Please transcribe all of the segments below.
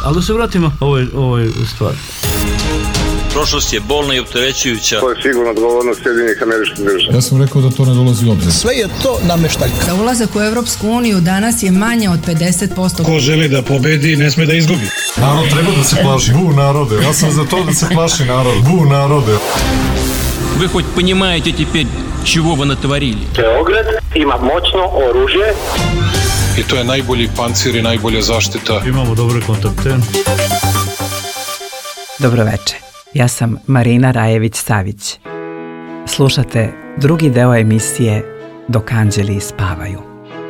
Ali da se vratimo ovoj stvari. Prošlost je bolna i opterećujuća. To je sigurno odgovornost Sjedinjenih Američkih Država. Ja sam rekao da to ne dolazi u obzir. Sve je to nameštaljka. Za ulazak u Evropsku uniju danas je manje od 50%. Ko želi da pobedi, ne sme da izgubi. Narod treba da se plaši. Bu narode. Ja sam za to da se plaši narod. Bu narode. Вы хоть понимаете теперь, чего вы натворили? Beograd ima moćno oružje. I to je najbolji pancir i najbolja zaštita. Imamo dobre kontakte. Dobroveče, ja sam Marina Rajević-Savić. Slušate drugi deo emisije Dok anđeli spavaju.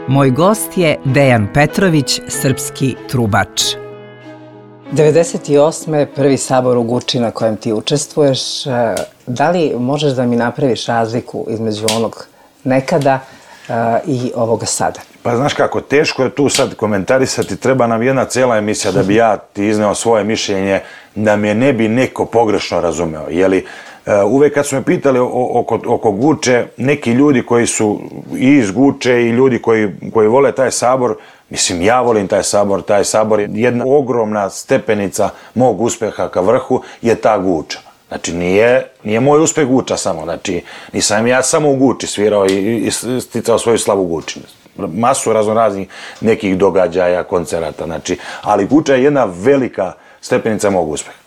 Moj gost je Dejan Petrović, srpski trubač. 98. prvi sabor u Guči na kojem ti učestvuješ. Da li možeš da mi napraviš razliku između onog nekada i ovoga sada? Pa znaš kako, teško je tu sad komentarisati, treba nam jedna cijela emisija da bi ja ti izneo svoje mišljenje, da me ne bi neko pogrešno razumeo. Jeli, uvek kad su me pitali oko Guče, neki ljudi koji su i iz Guče i ljudi koji vole taj sabor, mislim, ja volim taj sabor je jedna ogromna stepenica mog uspeha ka vrhu je ta Guča. Znači, nije moj uspeh Guča samo, znači, nisam ja samo u Guči svirao i sticao svoju slavu Guči. Masu raznoraznih nekih događaja, koncerata, znači, ali Guča je jedna velika stepenica mog uspeha.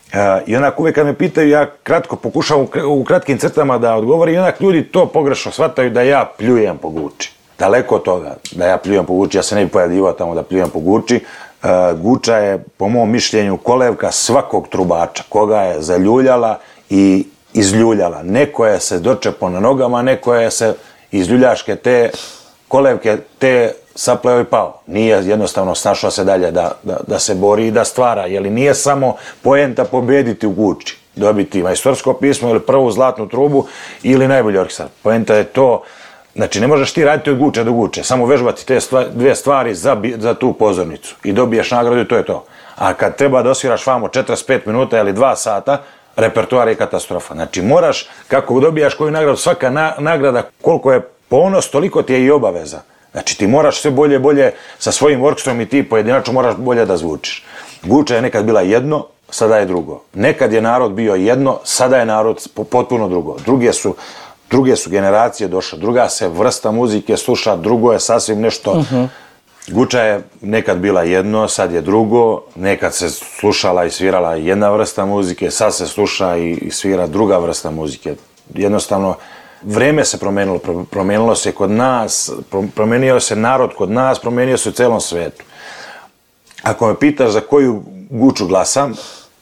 I onak uvek kad me pitaju, ja kratko pokušavam u kratkim crtama da odgovorim i onak ljudi to pogrešno shvataju da ja pljujem po Guči. Daleko od toga da ja pljujem po Guči, ja se ne bi pojavljivao tamo da pljujem po Guči. Guča je, po mom mišljenju, kolevka svakog trubača, koga je zaljuljala i izljuljala. Neko je se dočepao na nogama, neko je se iz ljuljaške te kolevke te sapleo i pao. Nije jednostavno snašao se dalje da se bori i da stvara, jer nije samo poenta pobediti u Guči, dobiti majstorsko pismo ili prvu zlatnu trubu ili najbolji orkestar. Poenta je to, znači ne možeš ti raditi od Guče do Guče, samo vežbati te dve stvari za tu pozornicu i dobiješ nagradu i to je to. A kad treba da osviraš vamo 45 minuta ili 2 sata, repertoar je katastrofa. Znači moraš, kako dobijaš koju nagradu, svaka nagrada koliko je ponos, toliko ti je i obaveza. Znači ti moraš sve bolje sa svojim orkestrom i ti pojedinačno moraš bolje da zvučiš. Guča je nekad bila jedno, sada je drugo. Nekad je narod bio jedno, sada je narod potpuno drugo. Druge su generacije došle, druga se vrsta muzike sluša, drugo je sasvim nešto. Guča je nekad bila jedno, sad je drugo, nekad se slušala i svirala jedna vrsta muzike, sad se sluša i svira druga vrsta muzike. Jednostavno, vreme se promenilo se kod nas, promenio se narod kod nas, promenio se u celom svetu. Ako me pitaš za koju Guču glasam,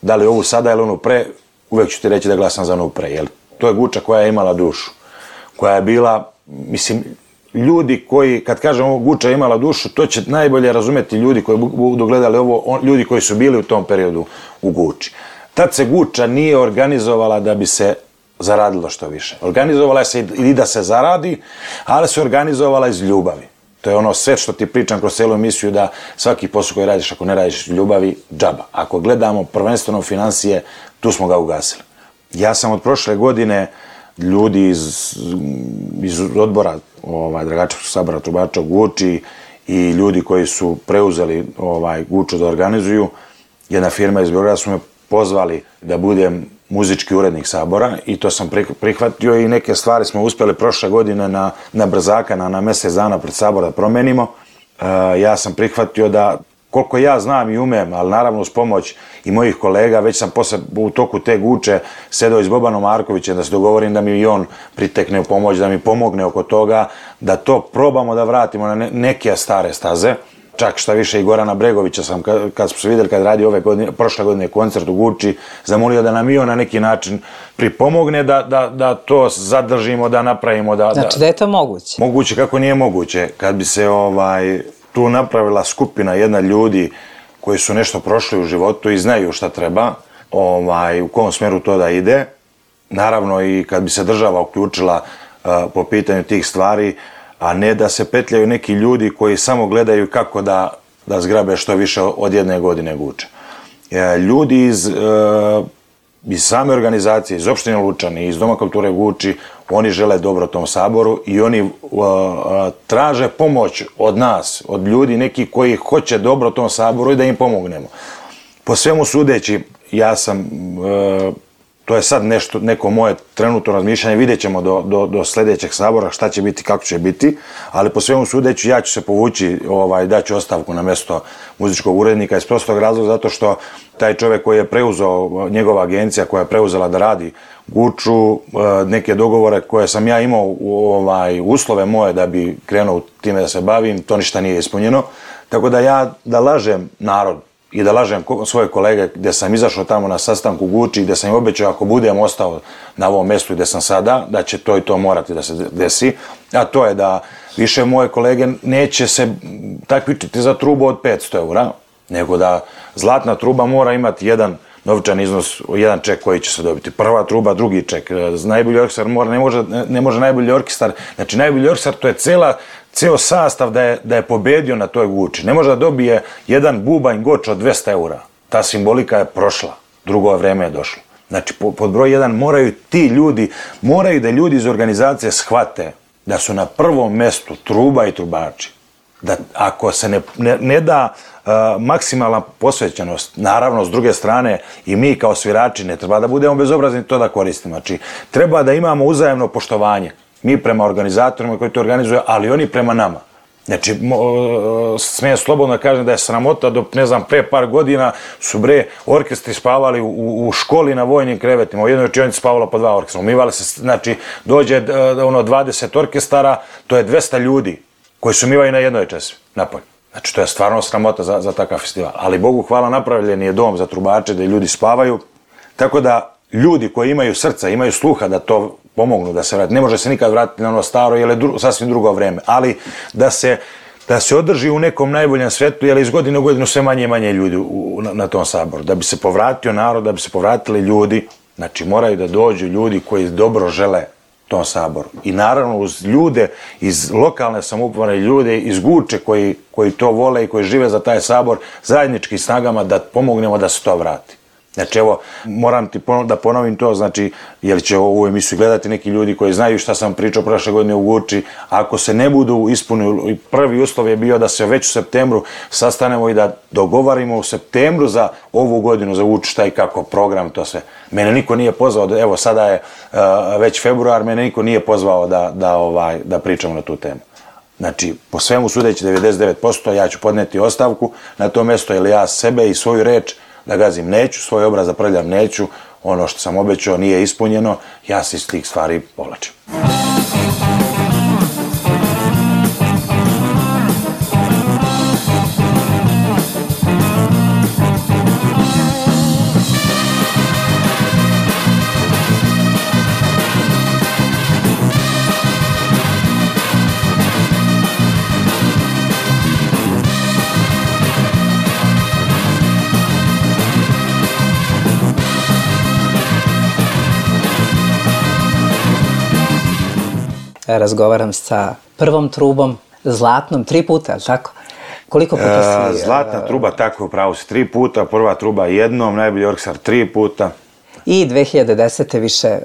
da li ovu sada ili onu pre, uvek ću ti reći da glasam za onu pre, jer to je Guča koja je imala dušu, koja je bila, mislim, ljudi koji, kad kažem ovo Guča je imala dušu, to će najbolje razumeti ljudi koji budu gledali ovo, ljudi koji su bili u tom periodu u Guči. Tad se Guča nije organizovala da bi se zaradilo što više. Organizovala se i da se zaradi, ali se organizovala iz ljubavi. To je ono sve što ti pričam kroz celu emisiju, da svaki posao koji radiš, ako ne radiš ljubavi, džaba. Ako gledamo prvenstveno financije, tu smo ga ugasili. Ja sam od prošle godine ljudi iz odbora Dragačevskog sabora trubača u Guči i ljudi koji su preuzeli Guču da organizuju, jedna firma iz Beograda su me pozvali da budem muzički urednik sabora i to sam prihvatio i neke stvari smo uspjeli prošle godine na brzaka, na mjesec dana pred sabor da promenimo. Ja sam prihvatio da, koliko ja znam i umem, ali naravno uz pomoć i mojih kolega, već sam posle u toku te Guče sedao i s Bobanom Markovićem da se dogovorim da mi i on pritekne u pomoć, da mi pomogne oko toga, da to probamo da vratimo na neke stare staze. Čak šta više i Gorana Bregovića sam, kad smo se vidjeli kad radi prošle godine koncert u Guči, zamolio da nam i on na neki način pripomogne da to zadržimo, da napravimo. Znači da je to moguće? Moguće, kako nije moguće. Kad bi se tu napravila skupina jedna ljudi koji su nešto prošli u životu i znaju šta treba, u kom smeru to da ide, naravno i kad bi se država uključila po pitanju tih stvari, a ne da se petljaju neki ljudi koji samo gledaju kako da zgrabe što više od jedne godine Guče. Ljudi iz iz same organizacije, iz opštine Lučani, iz Doma kulture Guči, oni žele dobro tom saboru i oni traže pomoć od nas, od ljudi neki koji hoće dobro tom saboru i da im pomognemo. Po svemu sudeći, ja sam, to je sad neko moje trenutno razmišljanje, vidjet ćemo do sljedećeg sabora šta će biti, kako će biti, ali po svemu sudeći ja ću se povući, daću ostavku na mjesto muzičkog urednika iz prostog razloga zato što taj čovjek koji je preuzeo, njegova agencija koja je preuzela da radi Guču, neke dogovore koje sam ja imao, uslove moje da bi krenuo time da se bavim, to ništa nije ispunjeno, tako da lažem narod i da lažem svoje kolege gdje sam izašao tamo na sastanku Guči, gdje sam im obećao ako budem ostao na ovom mjestu gdje sam sada, da će to i to morati da se desi, a to je da više moje kolege neće se takmičiti za trubu od 500 eura, nego da zlatna truba mora imati jedan novčan iznos, jedan ček koji će se dobiti. Prva truba, drugi ček. Najbolji orkestar ne može najbolji orkestar, znači najbolji orkestar to je ceo sastav da je pobedio na toj Guči. Ne može da dobije jedan bubanj goč od 200 eura. Ta simbolika je prošla, drugo vreme je došlo. Znači pod broj 1 moraju ti ljudi, moraju da ljudi iz organizacije shvate da su na prvom mjestu truba i trubači. Da ako se ne da maksimalna posvećenost, naravno s druge strane i mi kao svirači ne treba da budemo bezobrazni to da koristimo. Znači treba da imamo uzajamno poštovanje. Mi prema organizatorima koji to organizuju, ali oni prema nama. Znači, smijem slobodno da kažem da je sramota dok, ne znam, pre par godina su orkestri spavali u školi na vojnim krevetima. U jednoj učionici spavalo po 2 orkestra. Umivali se, znači, dođe 20 orkestara, to je 200 ljudi koji se umivaju na jednoj česmi, napolje. Znači, to je stvarno sramota za takav festival. Ali Bogu hvala, napravljen je dom za trubače da ljudi spavaju. Tako da ljudi koji imaju srca, imaju sluha da to pomognu da se vrati. Ne može se nikad vratiti na ono staro, jer je sasvim drugo vreme. Ali da se održi u nekom najboljem svetu, jer iz godine u godinu sve manje i manje ljudi na tom saboru. Da bi se povratio narod, da bi se povratili ljudi, znači moraju da dođu ljudi koji dobro žele tom saboru. I naravno uz ljude iz lokalne samouprave, ljude iz Guče koji to vole i koji žive za taj sabor, zajedničkim snagama da pomognemo da se to vrati. Znači evo, moram ti da ponovim to, znači, jer će ovu emisiju gledati neki ljudi koji znaju šta sam pričao prošle godine u Guči, ako se ne budu ispunili, prvi uslov je bio da se već u septembru sastanemo i da dogovarimo u septembru za ovu godinu, za Guču šta i kako, program, to sve. Mene niko nije pozvao, evo sada je već februar, mene niko nije pozvao da pričamo na tu temu. Znači, po svemu sudeći 99%, ja ću podneti ostavku na to mjesto, jer ja sebe i svoju reč da gazim neću, svoj obraz da prljam neću, ono što sam obećao nije ispunjeno, ja se iz tih stvari povlačim. Razgovaram sa prvom trubom, zlatnom, 3 puta, tako? Koliko puta si... Zlatna truba, tako, upravo si 3 puta, prva truba jednom, najbolji orkestar 3 puta. I 2010. više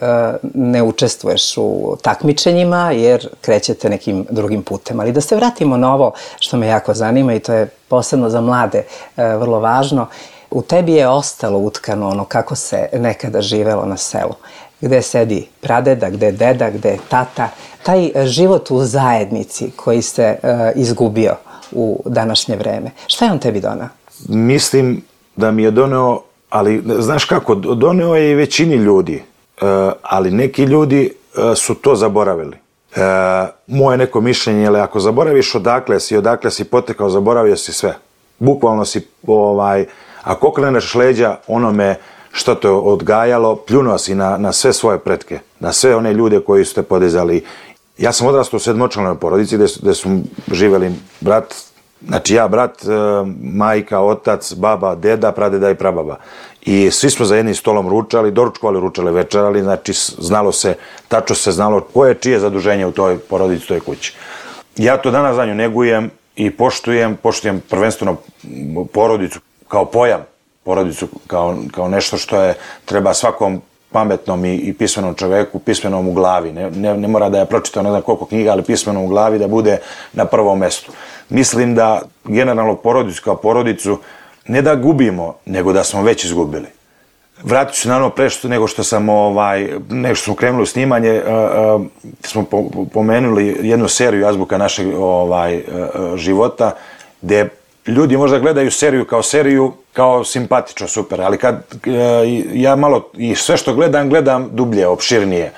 ne učestvuješ u takmičenjima jer krećete nekim drugim putem. Ali da se vratimo na ovo što me jako zanima i to je posebno za mlade vrlo važno. U tebi je ostalo utkano ono kako se nekada živelo na selu. Gde sedi pradeda, gde deda, gde tata. Taj život u zajednici koji se izgubio u današnje vreme. Šta je on tebi doneo? Mislim da mi je doneo, ali znaš kako, doneo je i većini ljudi, ali neki ljudi su to zaboravili. Moje neko mišljenje je, ako zaboraviš odakle si potekao, zaboravio si sve. Bukvalno si, ako okreneš leđa onome što te odgajalo, pljunuo si na sve svoje pretke, na sve one ljude koji su te podizali. Ja sam odrastao u sedmočlanoj porodici gdje su živjeli brat, znači ja, brat, majka, otac, baba, deda, pradeda i prababa. I svi smo za jednim stolom ručali, doručkovali, ručali, večerali, znači tačno se znalo koje je čije zaduženje u toj porodici, u toj kući. Ja to danas za nju negujem i poštujem prvenstveno porodicu kao pojam. porodicu kao nešto što treba svakom pametnom i pismenom čoveku, pismenom u glavi. Ne mora da je pročitao ne znam koliko knjiga, ali pismenom u glavi da bude na prvom mestu. Mislim da generalno porodicu kao porodicu ne da gubimo, nego da smo već izgubili. Vratit ću se naravno pre nego što smo krenuli u snimanje, smo pomenuli jednu seriju Azbuka našeg života, gde ljudi možda gledaju seriju kao simpatično, super, ali kad ja malo i sve što gledam dublje, opširnije.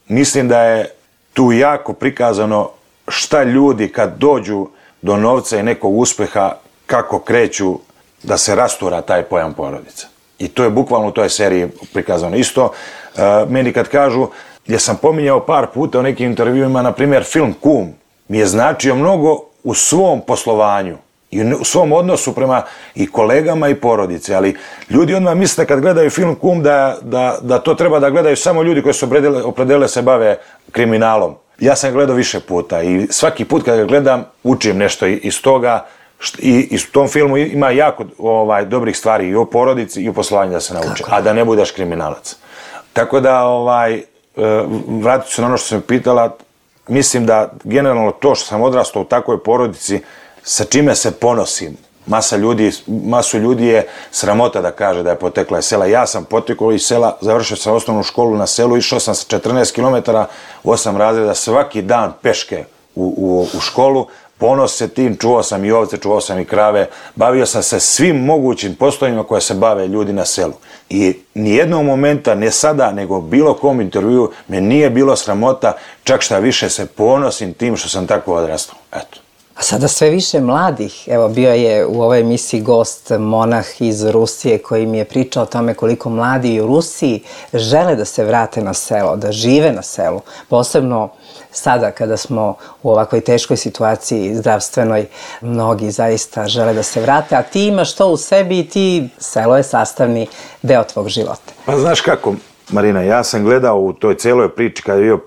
Mislim da je tu jako prikazano šta ljudi kad dođu do novca i nekog uspeha, kako kreću da se rastura taj pojam porodica. I to je bukvalno u toj seriji prikazano. Isto, meni kad kažu, jer sam pominjao par puta u nekim intervjuima, na primjer, film Kum mi je značio mnogo u svom poslovanju i u svom odnosu prema i kolegama i porodice, ali ljudi odmah misle kad gledaju film Kum da to treba da gledaju samo ljudi koji su opredelili se bave kriminalom. Ja sam gledao više puta i svaki put kad ga gledam učim nešto iz toga i u tom filmu ima jako dobrih stvari i o porodici i o poslovanju da se nauči, a da ne budeš kriminalac. Tako da, vratit ću se na ono što sam pitala, mislim da generalno to što sam odrastao u takvoj porodici, sa čime se ponosim, masu ljudi je sramota da kaže da je potekla iz sela. Ja sam potekao iz sela, završio sam osnovnu školu na selu, išao sam sa 14 km, 8 razreda, svaki dan peške u školu, ponos se tim, čuvao sam i ovce, čuvao sam i krave, bavio sam se svim mogućim poslovima koje se bave ljudi na selu. I nijednog momenta, ne sada, nego bilo kom intervju, me nije bilo sramota, čak šta više se ponosim tim što sam tako odrastao. Eto. A sada sve više mladih, evo bio je u ovoj emisiji gost monah iz Rusije koji mi je pričao o tome koliko mladi i u Rusiji žele da se vrate na selo, da žive na selu. Posebno sada kada smo u ovakvoj teškoj situaciji zdravstvenoj, mnogi zaista žele da se vrate, a ti imaš to u sebi i selo je sastavni deo tvog života. Pa znaš kako, Marina, ja sam gledao u toj celoj priči kad je bio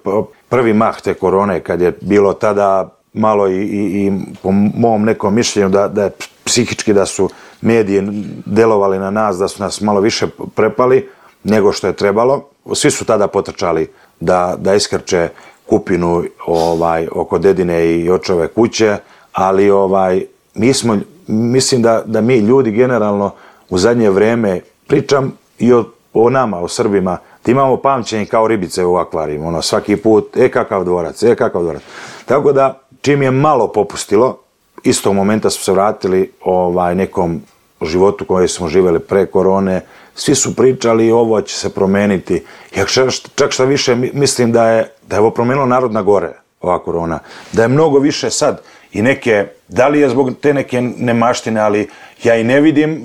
prvi mah te korone, kad je bilo tada malo i po mom nekom mišljenju da je psihički da su mediji delovali na nas, da su nas malo više prepali nego što je trebalo. Svi su tada potrčali da iskrče kupinu oko dedine i očove kuće, ali mislim da mi ljudi generalno u zadnje vreme, pričam i o nama, o Srbima, da imamo pamćenje kao ribice u akvarijima, svaki put, kakav dvorac. Tako da, čim je malo popustilo, istog momenta smo se vratili nekom životu koji smo živjeli pre korone, svi su pričali ovo će se promeniti. Ja čak šta više mislim da je ovo promenilo narod na gore, ova korona. Da je mnogo više sad i neke, da li je zbog te neke nemaštine, ali ja i ne vidim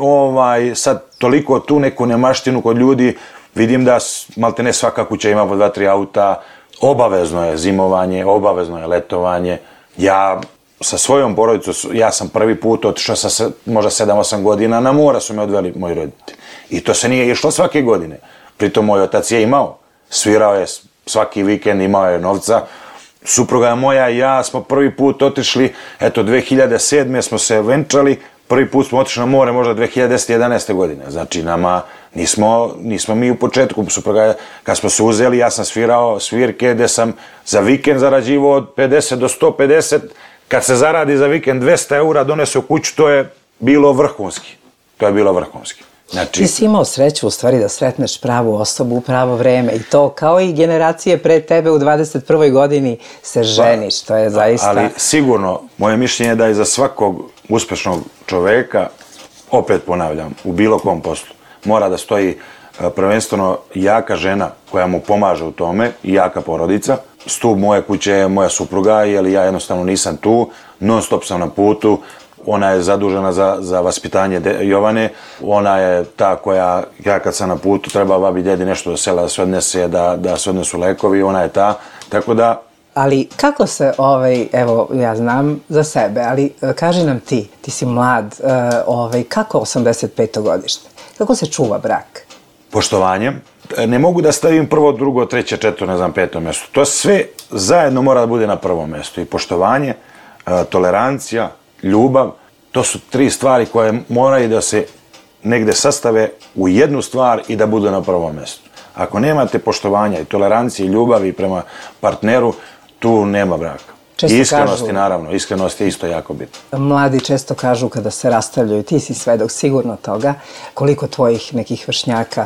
sad toliko tu neku nemaštinu kod ljudi, vidim da maltene svaka kuća ima po 2-3 auta, obavezno je zimovanje, obavezno je letovanje. Ja sa svojom porodicom, ja sam prvi put otišao sa možda 7-8 godina, na mora su me odveli moji roditelji. I to se nije išlo svake godine. Pritom moj otac je imao, svirao je svaki vikend, imao je novca. Supruga moja i ja smo prvi put otišli, 2007. smo se venčali, prvi put smo otišli na more možda 2010-11. godine. Znači nama nismo mi u početku, supruga, kad smo se uzeli, ja sam svirao svirke gde sam za vikend zarađivao od 50 do 150, kad se zaradi za vikend 200 eura, donese u kuću, to je bilo vrhunski. Znači, ti si imao sreću u stvari da sretneš pravu osobu u pravo vreme i to kao i generacije pre tebe u 21. godini se ženiš, to je zaista... Ali sigurno, moje mišljenje je da je za svakog uspešnog čoveka, opet ponavljam, u bilo kom poslu, mora da stoji prvenstveno jaka žena koja mu pomaže u tome i jaka porodica. Stup moje kuće je moja supruga, jer ja jednostavno nisam tu, non stop sam na putu. Ona je zadužena za vaspitanje Jovane, ona je ta koja, ja kad sam na putu, treba babi djedi nešto do sela da se odnese, da se odnesu lekovi, ona je ta, tako da... Ali kako se, evo, ja znam za sebe, ali kaži nam ti si mlad, kako 85. godište, kako se čuva brak? Poštovanjem. Ne mogu da stavim prvo, drugo, treće, četvrto, ne znam, peto mjesto. To sve zajedno mora da bude na prvom mjestu. I poštovanje, tolerancija, ljubav, to su 3 stvari koje moraju da se negde sastave u jednu stvar i da budu na prvom mjestu. Ako nemate poštovanja i tolerancije i ljubavi prema partneru, tu nema braka. Često I iskrenosti, kažu, naravno, iskrenost je isto jako bitno. Mladi često kažu kada se rastavljaju, ti si svedok sigurno toga, koliko tvojih nekih vršnjaka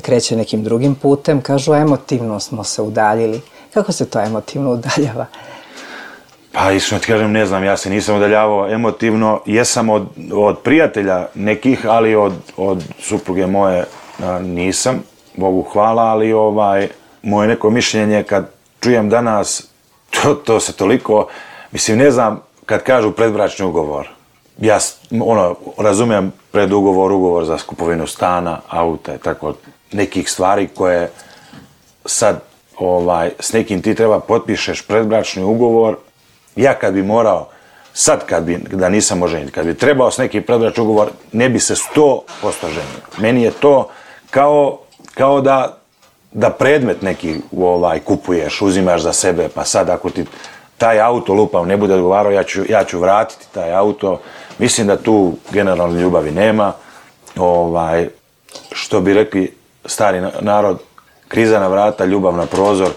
kreće nekim drugim putem, kažu emotivno smo se udaljili. Kako se to emotivno udaljava? Pa iskreno ti kažem, ne znam, ja se nisam udaljavao emotivno, jesam od prijatelja nekih, ali od supruge moje nisam, Bogu hvala, ali moje neko mišljenje kad čujem danas, to se toliko, mislim, ne znam, kad kažu predbračni ugovor, ja razumijem ugovor za kupovinu stana, auta i tako nekih stvari koje sad s nekim ti treba potpišeš predbračni ugovor. Ja kad bi morao, sad da nisam oženjen, kad bi trebao s nekim predbračni ugovor, ne bi se 100% ženio. Meni je to kao da predmet neki kupuješ, uzimaš za sebe, pa sad ako ti taj auto lupav ne bude odgovarao, ja ću vratiti taj auto. Mislim da tu generalno ljubavi nema. Što bi rekli stari narod, kriza na vrata, ljubav na prozor.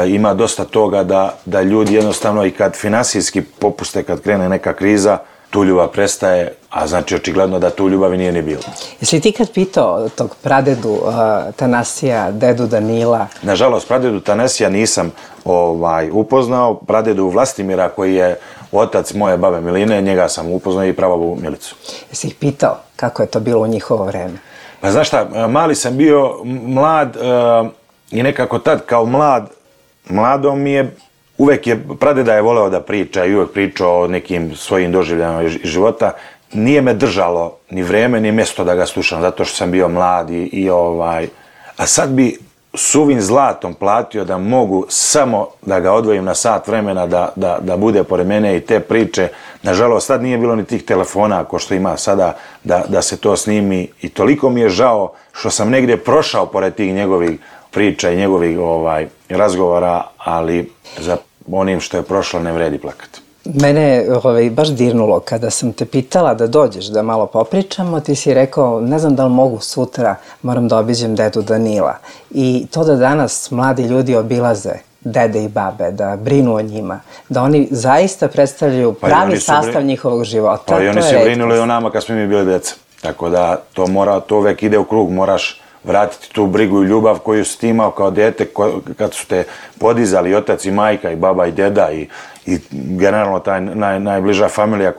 Ima dosta toga da ljudi jednostavno i kad finansijski popuste, kad krene neka kriza, tu ljubav prestaje, a znači očigledno da tu ljubavi nije ni bilo. Jesi ti kad pitao tog pradedu Tanasija, dedu Danila? Nažalost, pradedu Tanasija nisam upoznao, pradedu Vlastimira koji je otac moje babe Miline, njega sam upoznao i prababu Milicu. Jesi ih pitao kako je to bilo u njihovo vreme? Pa znaš šta, mali sam bio, mlad i nekako tad kao mladom mi je, uvek je, pradeda je voleo da priča i uvek pričao o nekim svojim doživljajima iz života. Nije me držalo ni vreme ni mjesto da ga slušam, zato što sam bio mlad a sad bi suvim zlatom platio da mogu samo da ga odvojim na sat vremena da bude pored mene i te priče. Nažalost, sad nije bilo ni tih telefona ko što ima sada da se to snimi i toliko mi je žao što sam negdje prošao pored tih njegovih priča i njegovih razgovora, ali za onim što je prošlo ne vredi plakati. Mene je baš dirnulo kada sam te pitala da dođeš da malo popričamo, ti si rekao, ne znam da li mogu sutra, moram da obiđem dedu Danila. I to da danas mladi ljudi obilaze dede i babe, da brinu o njima, da oni zaista predstavljaju pravi sastav njihovog života. Pa i oni su brinuli o nama kad smo mi bili deca. Tako da to uvek ide u krug, moraš vratiti tu brigu i ljubav koju si ti imao kao dete kad su te podizali otac i majka i baba i deda i generalno ta najbliža familija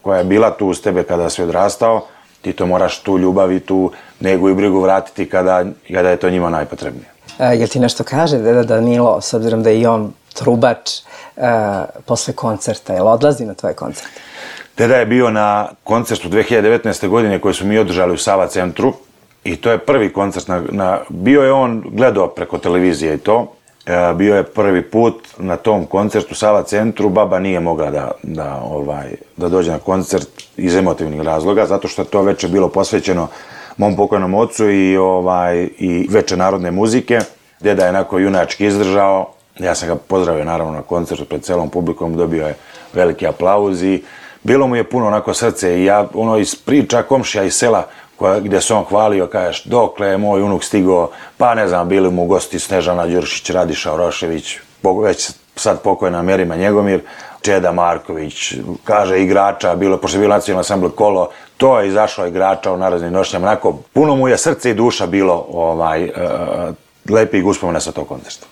koja je bila tu uz tebe kada si odrastao, ti to moraš tu ljubav i tu negu i brigu vratiti kada je to njima najpotrebnije. Jel ti nešto kaže deda Danilo, s obzirom da je i on trubač, posle koncerta, jel odlazi na tvoje koncerte? Deda je bio na koncertu 2019. godine koji su mi održali u Sava centru. I to je prvi koncert, bio je on gledao preko televizije i to, bio je prvi put na tom koncertu u Sava centru, baba nije mogla da dođe na koncert iz emotivnih razloga, zato što je to večer bilo posvećeno mom pokojnom ocu i večer narodne muzike. Deda je onako junački izdržao, ja sam ga pozdravio naravno na koncertu pred celom publikom, dobio je veliki aplauz i bilo mu je puno onako srce i ja iz priča komšija iz sela gdje se on hvalio, kažeš, dokle je moj unuk stigao, pa ne znam, bili mu gosti Snežana Đuršić, Radiša Orošević, već sad pokojna Merima Njegomir, Čeda Marković, kaže igrača, pošto je bilo nacionalni ansambl Kolo, to je izašlo igrača u narednim nošnjama, onako, puno mu je srce i duša bilo lepih uspomena sa tog koncerta.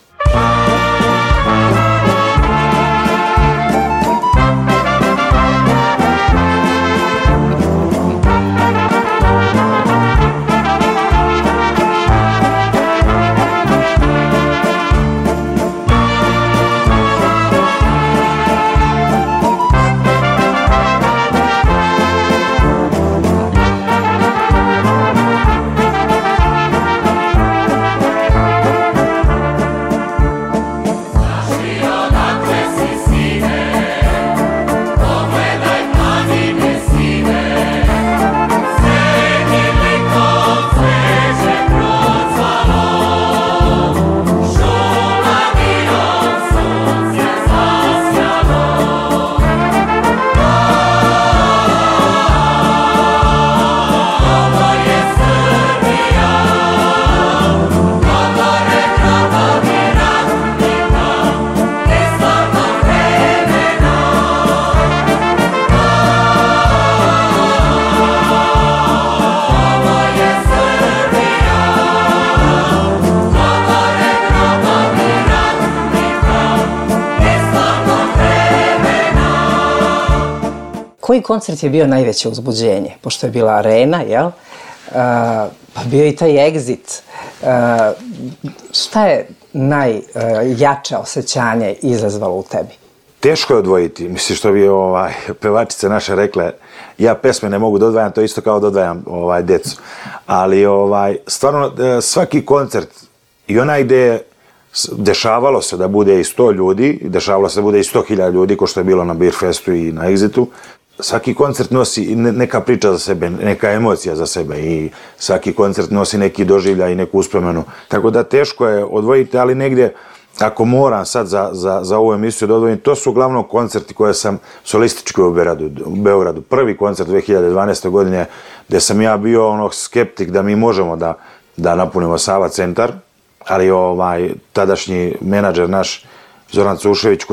Koji koncert je bio najveće uzbuđenje? Pošto je bila arena, jel? Pa bio i taj Exit. Šta je najjače osjećanje izazvalo u tebi? Teško je odvojiti, mislim što bi pevačice naše rekle, ja pesme ne mogu da odvajam, to je isto kao da odvajam decu. Ali stvarno svaki koncert i onaj gde dešavalo se da bude i 100 ljudi, dešavalo se da bude i 100.000 ljudi, ko što je bilo na Beer Festu i na Exitu, svaki koncert nosi neka priča za sebe, neka emocija za sebe i svaki koncert nosi neki doživljaj i neku uspomenu. Tako da teško je odvojiti, ali negdje, ako moram sad za ovu emisiju da odvojim, to su uglavnom koncerti koje sam solistički u Beogradu. Prvi koncert 2012. godine gdje sam ja bio skeptik da mi možemo da napunimo Sava centar, ali tadašnji menadžer naš Zoran Cušević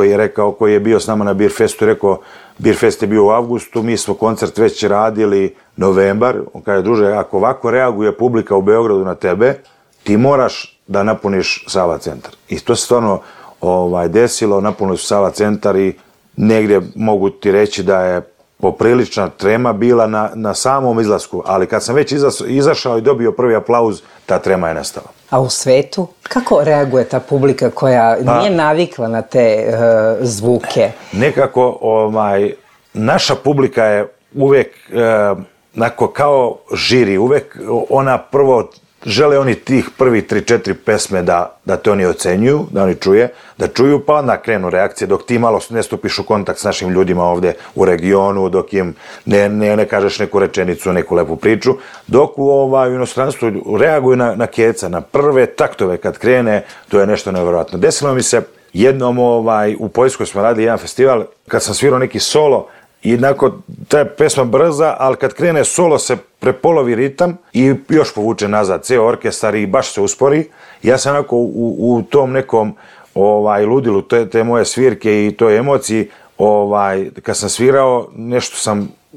koji je bio s nama na Beer Festu, rekao, Beer Fest je bio u avgustu, mi smo koncert već radili novembar, on kaže, druže, ako ovako reaguje publika u Beogradu na tebe, ti moraš da napuniš Sava centar. I to se stvarno desilo, napunili su Sava centar i negdje mogu ti reći da je poprilična trema bila na samom izlasku, ali kad sam već izašao i dobio prvi aplauz, ta trema je nestala. A u svetu, kako reaguje ta publika koja nije navikla na te zvuke? Nekako, naša publika je uvek kao žiri, uvek ona prvo žele oni tih prvih 3-4 pesme da te oni ocenjuju, da oni čuju, pa onda krenu reakcije dok ti malo ne stupiš u kontakt s našim ljudima ovdje u regionu, dok im ne kažeš neku rečenicu, neku lepu priču, dok u inostranstvu reaguju na keca, na prve taktove kad krene, to je nešto nevjerojatno. Desilo mi se jednom u Poljskoj smo radili jedan festival, kad sam svirao neki solo, i nakon ta je pesma brza, ali kad krene solo se prepolovi ritam i još povuče nazad ceo orkestar i baš se uspori. Ja sam onako u tom nekom ludilu te moje svirke i toj emociji, kad sam svirao,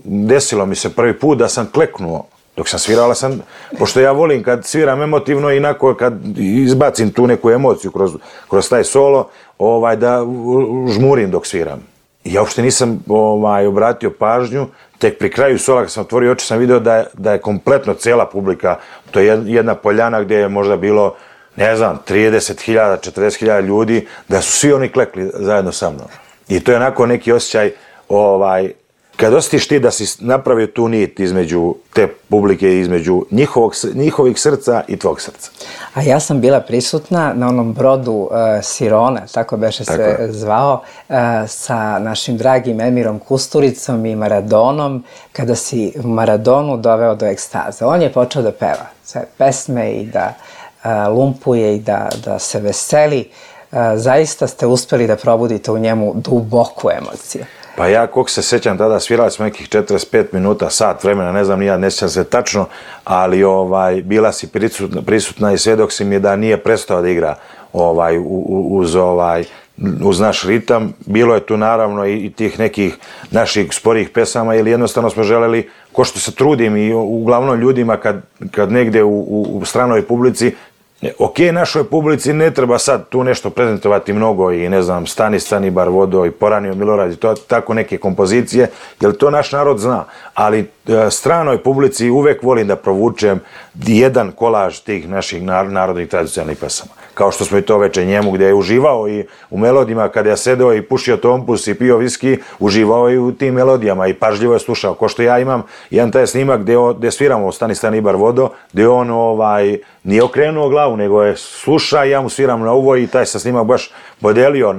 desilo mi se prvi put da sam kleknuo. Dok sam svirao, pošto ja volim kad sviram emotivno i kad izbacim tu neku emociju kroz taj solo, da žmurim dok sviram. Ja uopšte nisam obratio pažnju, tek pri kraju sola kad sam otvorio oči sam vidio da je kompletno cijela publika, to je jedna poljana gdje je možda bilo, 30.000, 40.000 ljudi, da su svi oni klekli zajedno sa mnom. I to je onako neki osjećaj, kad osjetiš ti da si napravio tu nit između te publike, između njihovih srca i tvog srca. A ja sam bila prisutna na onom brodu Sirona, tako beše se zvao, sa našim dragim Emirom Kusturicom i Maradonom, kada si Maradonu doveo do ekstaze. On je počeo da peva sve pesme i da lumpuje i da se veseli. Zaista ste uspeli da probudite u njemu duboku emociju. Pa ja, koliko se sećam, tada svirali smo nekih 45 minuta, sat vremena, ne znam, ne sjećam se tačno, ali bila si prisutna i svjedok si mi da nije prestao da igra uz naš ritam. Bilo je tu naravno i tih nekih naših sporijih pesama, ili jednostavno smo želeli, ko što se trudim i uglavnom ljudima kad negde u stranoj publici, ok, našoj publici ne treba sad tu nešto prezentovati mnogo i Stani bar vodo i Poranio Milorad i to tako neke kompozicije, jer to naš narod zna, ali stranoj publici uvek volim da provučem jedan kolaž tih naših narodnih tradicionalnih pesama. Kao što smo i to veče njemu, gdje je uživao i u melodijama, kada je sedeo i pušio tompus i pio viski, uživao i u tim melodijama i pažljivo je slušao. Ko što ja imam jedan taj snimak gdje sviramo Stani bar vodo, gdje on nije okrenuo glavu, nego je sluša i ja mu sviram na uvo i taj se snimak baš podelio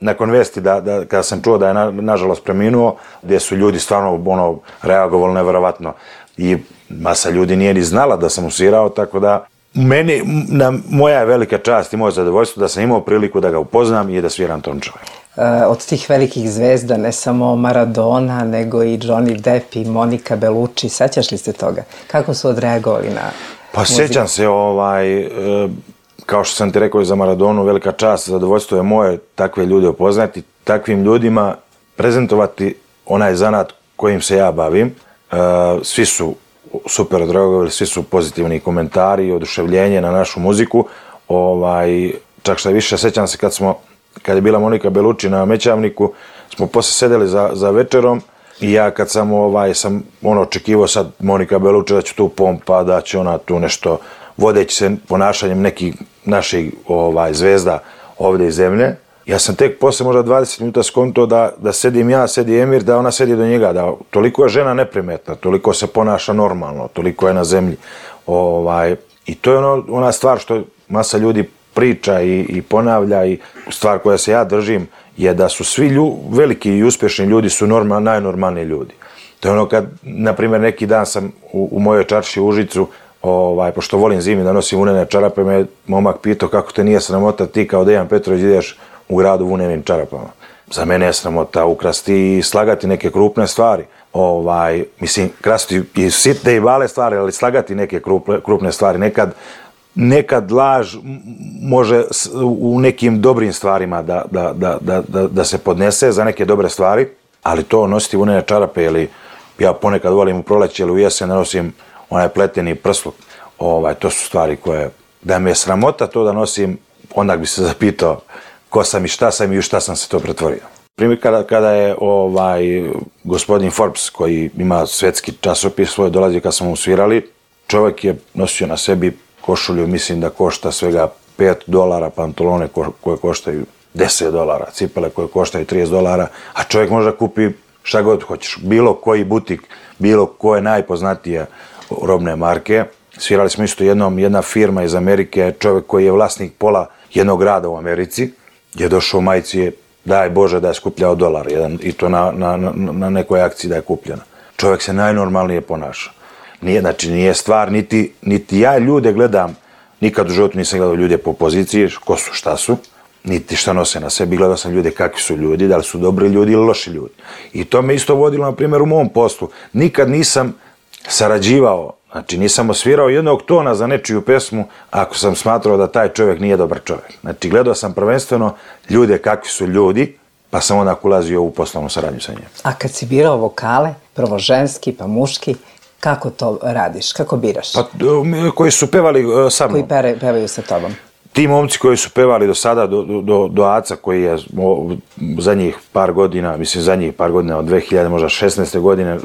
nakon vesti kada sam čuo da je nažalost preminuo, gdje su ljudi stvarno reagovali nevjerovatno i masa ljudi nije ni znala da sam svirao, tako da moja je velika čast i moje zadovoljstvo da sam imao priliku da ga upoznam i da sviram tom čoveku. Od tih velikih zvezda, ne samo Maradona, nego i Johnny Depp i Monica Bellucci, sećaš li se toga? Kako su odreagovali na muziku? Sećam se, kao što sam ti rekao i za Maradonu, velika čast, zadovoljstvo je moje takve ljude upoznati, takvim ljudima prezentovati onaj zanat kojim se ja bavim. Svi su super odreagovali, svi su pozitivni komentari i oduševljenje na našu muziku. Čak što više, sećam se kad je bila Monica Bellucci na Mećavniku, smo posle sedeli za večerom I ja kad sam sam očekivao sad Monika Beluča da će tu pompa, da će ona tu nešto, vodeći se ponašanjem nekih naših zvezda ovdje iz zemlje. Ja sam tek posle možda 20 minuta skonto da sedim ja, sedi Emir, da ona sedi do njega, da toliko je žena neprimetna, toliko se ponaša normalno, toliko je na zemlji. I to je ona stvar što masa ljudi priča i ponavlja, i stvar koja se ja držim je da su svi veliki i uspješni ljudi su najnormalniji ljudi. To je ono kad, na primjer, neki dan sam u mojoj čarši u Užicu, pošto volim zimi da nosim vunene čarape, me momak pitao kako te nije sramota, ti kao Dejan Petrović ideš u gradu vunenim čarapama. Za mene je sramota ukrasti i slagati neke krupne stvari. Mislim, krasti i sitne i male stvari, ali slagati neke krupne stvari. Nekad laž može u nekim dobrim stvarima da se podnese za neke dobre stvari, ali to nositi vunene čarape, ili ja ponekad volim u proleće ili u jesen da nosim onaj pleteni prsluk, to su stvari koje, da me je sramota to da nosim, onda bi se zapitao ko sam i šta sam i u šta sam se to pretvorio. Primjer, kada je gospodin Forbes, koji ima svetski časopis svoj, dolazio kad smo mu svirali, čovjek je nosio na sebi košulju, mislim da košta svega $5, pantalone koje koštaju $10, cipele koje koštaju $30, a čovjek može da kupi šta god hoćeš, bilo koji butik, bilo koje najpoznatije robne marke. Svirali smo isto jedna firma iz Amerike, čovjek koji je vlasnik pola jednog grada u Americi, je došao u majici, daj Bože da je skupljao $1, i to na nekoj akciji da je kupljena. Čovjek se najnormalnije ponaša. Nije stvar, niti ja ljude gledam, nikad u životu nisam gledao ljude po poziciji, ko su, šta su, niti šta nose na sebi, gledao sam ljude kakvi su ljudi, da li su dobri ljudi ili loši ljudi. I to me isto vodilo, na primjer, u mom poslu. Nikad nisam sarađivao, nisam osvirao jednog tona za nečiju pesmu ako sam smatrao da taj čovjek nije dobar čovjek. Gledao sam prvenstveno ljude kakvi su ljudi, pa sam onda ulazio u poslovnu saradnju sa njim. A kad si birao vokale, prvo ženski pa muški, kako to radiš? Kako biraš? Pa, koji su pevali sa mnom. Koji pevaju sa tobom. Ti momci koji su pevali do sada, do Aca, koji je zadnjih par godina, od 2000, možda 16. godine,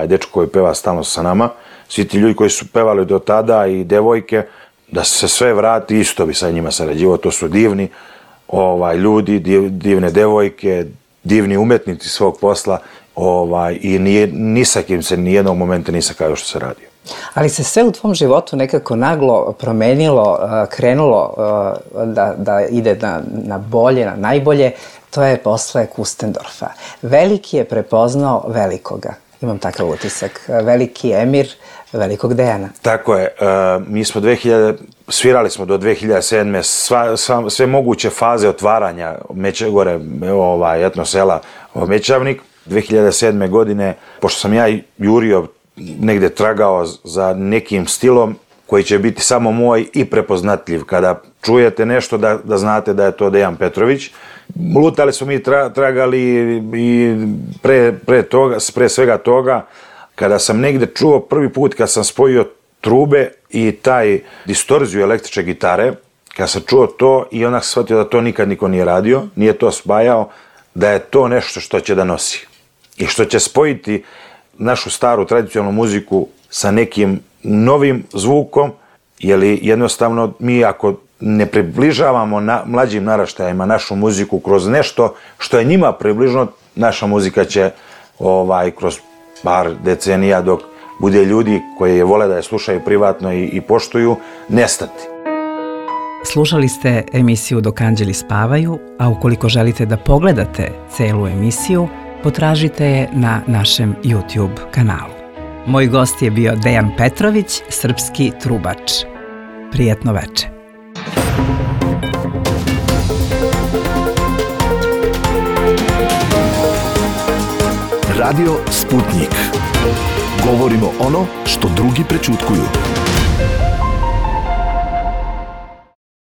dečko koji peva stalno sa nama, svi ti ljudi koji su pevali do tada i devojke, da se sve vrati, isto bi sa njima sarađivao. To su divni ljudi, divne devojke, divni umetnici svog posla, i ni sa kim se nijednog momenta nisam kao što se radio. Ali se sve u tvom životu nekako naglo promenilo, krenulo da ide na bolje, na najbolje, to je posle Kustendorfa. Veliki je prepoznao velikoga, imam takav utisak, veliki Emir velikog Dejana. Tako je, mi smo svirali smo do 2007. Sve moguće faze otvaranja Mećegore, etnosela Mećavnik. 2007. godine, pošto sam ja jurio, negde tragao za nekim stilom koji će biti samo moj i prepoznatljiv. Kada čujete nešto da znate da je to Dejan Petrović. Lutali smo mi, tragali i pre svega toga, kada sam negde čuo prvi put, kad sam spojio trube i taj distorziju električne gitare, kada sam čuo to i onak shvatio da to nikad niko nije radio, nije to spajao, da je to nešto što će da nosi i što će spojiti našu staru tradicionalnu muziku sa nekim novim zvukom, jer jednostavno mi ako ne približavamo mlađim naraštajima našu muziku kroz nešto što je njima približno, naša muzika će kroz par decenija, dok bude ljudi koji je vole da je slušaju privatno i poštuju, nestati. Slušali ste emisiju Dok anđeli spavaju, a ukoliko želite da pogledate celu emisiju, potražite je na našem YouTube kanalu. Moj gost je bio Dejan Petrović, srpski trubač. Prijetno veče. Radio Sputnik. Govorimo ono što drugi prećutkuju.